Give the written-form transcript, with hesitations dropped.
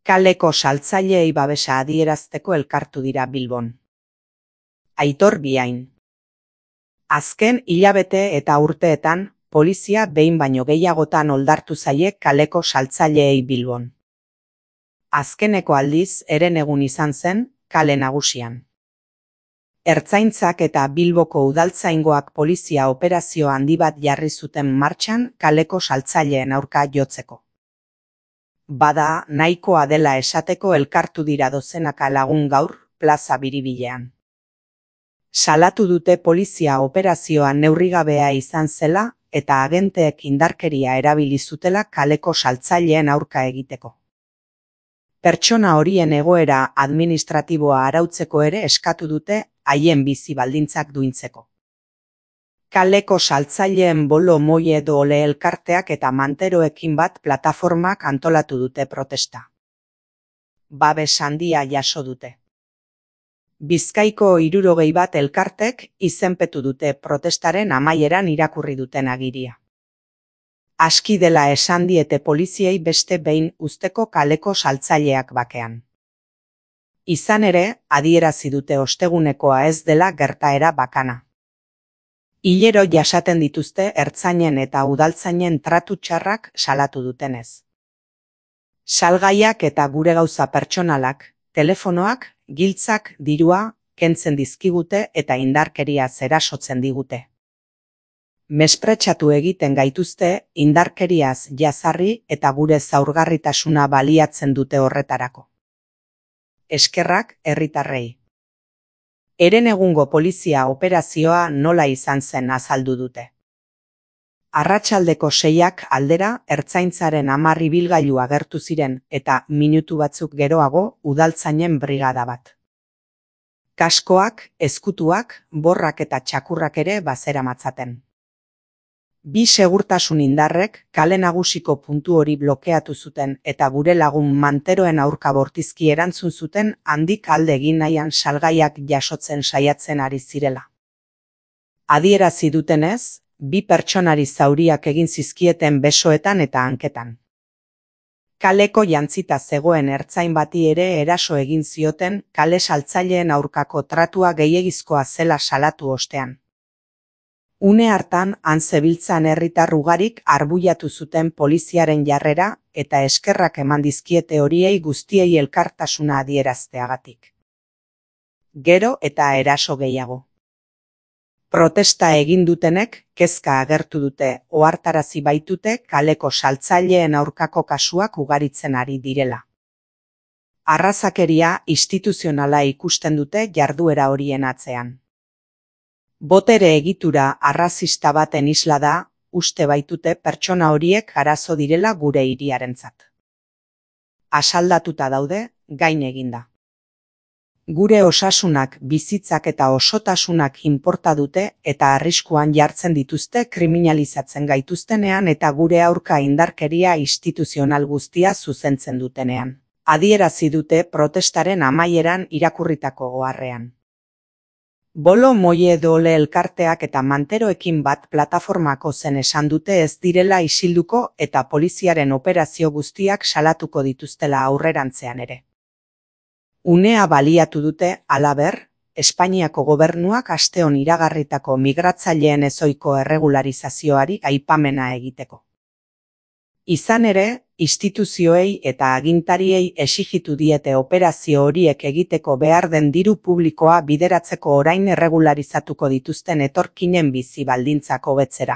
Kaleko saltzaileei babesa adierazteko elkartu dira Bilbon. Aitor Biain. Azken hilabete eta urteetan, polizia behin baino gehiagotan oldartu zaie kaleko saltzaileei Bilbon. Azkeneko aldiz herenegun izan zen, kale nagusian. Ertzaintzak eta Bilboko udaltzaingoak polizia operazio handi bat jarri zuten martxan kaleko saltzaileen aurka jotzeko. Bada, nahikoa dela esateko elkartu dira dozenaka lagun gaur, plaza Biribilean. Salatu dute polizia operazioa neurrigabea izan zela eta agenteek indarkeria erabili zutela kaleko saltzaileen aurka egiteko. Pertsona horien egoera administratiboa arautzeko ere eskatu dute haien bizi baldintzak duintzeko. Kaleko saltzaileen bolo moi edo ole elkarteak eta manteroekin bat plataformak antolatu dute protesta. Babes handia jaso dute. Bizkaiko 61 elkartek izenpetu dute protestaren amaieran irakurri duten agiria. Aski dela esan diete poliziei beste behin uzteko kaleko saltzaileak bakean. Izan ere, adierazi dute ostegunekoa ez dela gertaera bakana. Hilero jasaten dituzte ertzainen eta udaltzainen tratu txarrak salatu dutenez. Salgaiak eta gure gauza pertsonalak, telefonoak, giltzak, dirua, kentzen dizkigute eta indarkeria erasotzen digute. Mespretxatu egiten gaituzte, indarkeriaz jazarri eta gure zaurgarritasuna baliatzen dute horretarako. Eskerrak herritarrei. Herenegungo polizia operazioa nola izan zen azaldu dute. Arratsaldeko 6 aldera ertzaintzaren 10 ibilgailu agertu ziren eta minutu batzuk geroago udaltzainen brigada bat. Kaskoak, ezkutuak, borrak eta txakurrak ere bazeramatzaten. 2 segurtasun indarrek kale nagusiko puntu hori blokeatu zuten eta gure lagun manteroen aurka bortizki erantzun zuten handik alde egin nahian salgaiak jasotzen saiatzen ari zirela. Adierazi dutenez, 2 pertsonari zauriak egin zizkieten besoetan eta hanketan. Kaleko jantzita zegoen ertzain bati ere eraso egin zioten kale saltzaileen aurkako tratua gehiegizkoa zela salatu ostean. Une hartan, han zebiltzan herritar ugarik arbuiatu zuten poliziaren jarrera eta eskerrak eman dizkiete horiei guztiei elkartasuna adierazteagatik. Gero eta eraso gehiago. Protesta egin dutenek kezka agertu dute ohartarazi baitute kaleko saltzaileen aurkako kasuak ugaritzen ari direla. Arrazakeria instituzionala ikusten dute jarduera horien atzean. Botere egitura arrazista baten isla da, uste baitute pertsona horiek arazo direla gure hiriarentzat. Asaldatuta daude, gain eginda. Gure osasunak, bizitzak eta osotasunak inporta dute eta arriskuan jartzen dituzte kriminalizatzen gaituztenean eta gure aurka indarkeria instituzional guztia zuzentzen dutenean. Adierazi dute protestaren amaieran irakurritako oharrean. Bolo moi edo ole elkarteak eta manteroekin bat plataformako zen esan dute ez direla isilduko eta poliziaren operazio guztiak salatuko dituztela aurrerantzean ere. Unea baliatu dute, halaber, Espainiako gobernuak asteon iragarritako migratzaileen ezohiko erregularizazioari aipamena egiteko. Izan ere, instituzioei eta agintariei exijitu diete operazio horiek egiteko behar den diru publikoa bideratzeko orain erregularizatuko dituzten etorkinen bizi baldintzak hobetzera.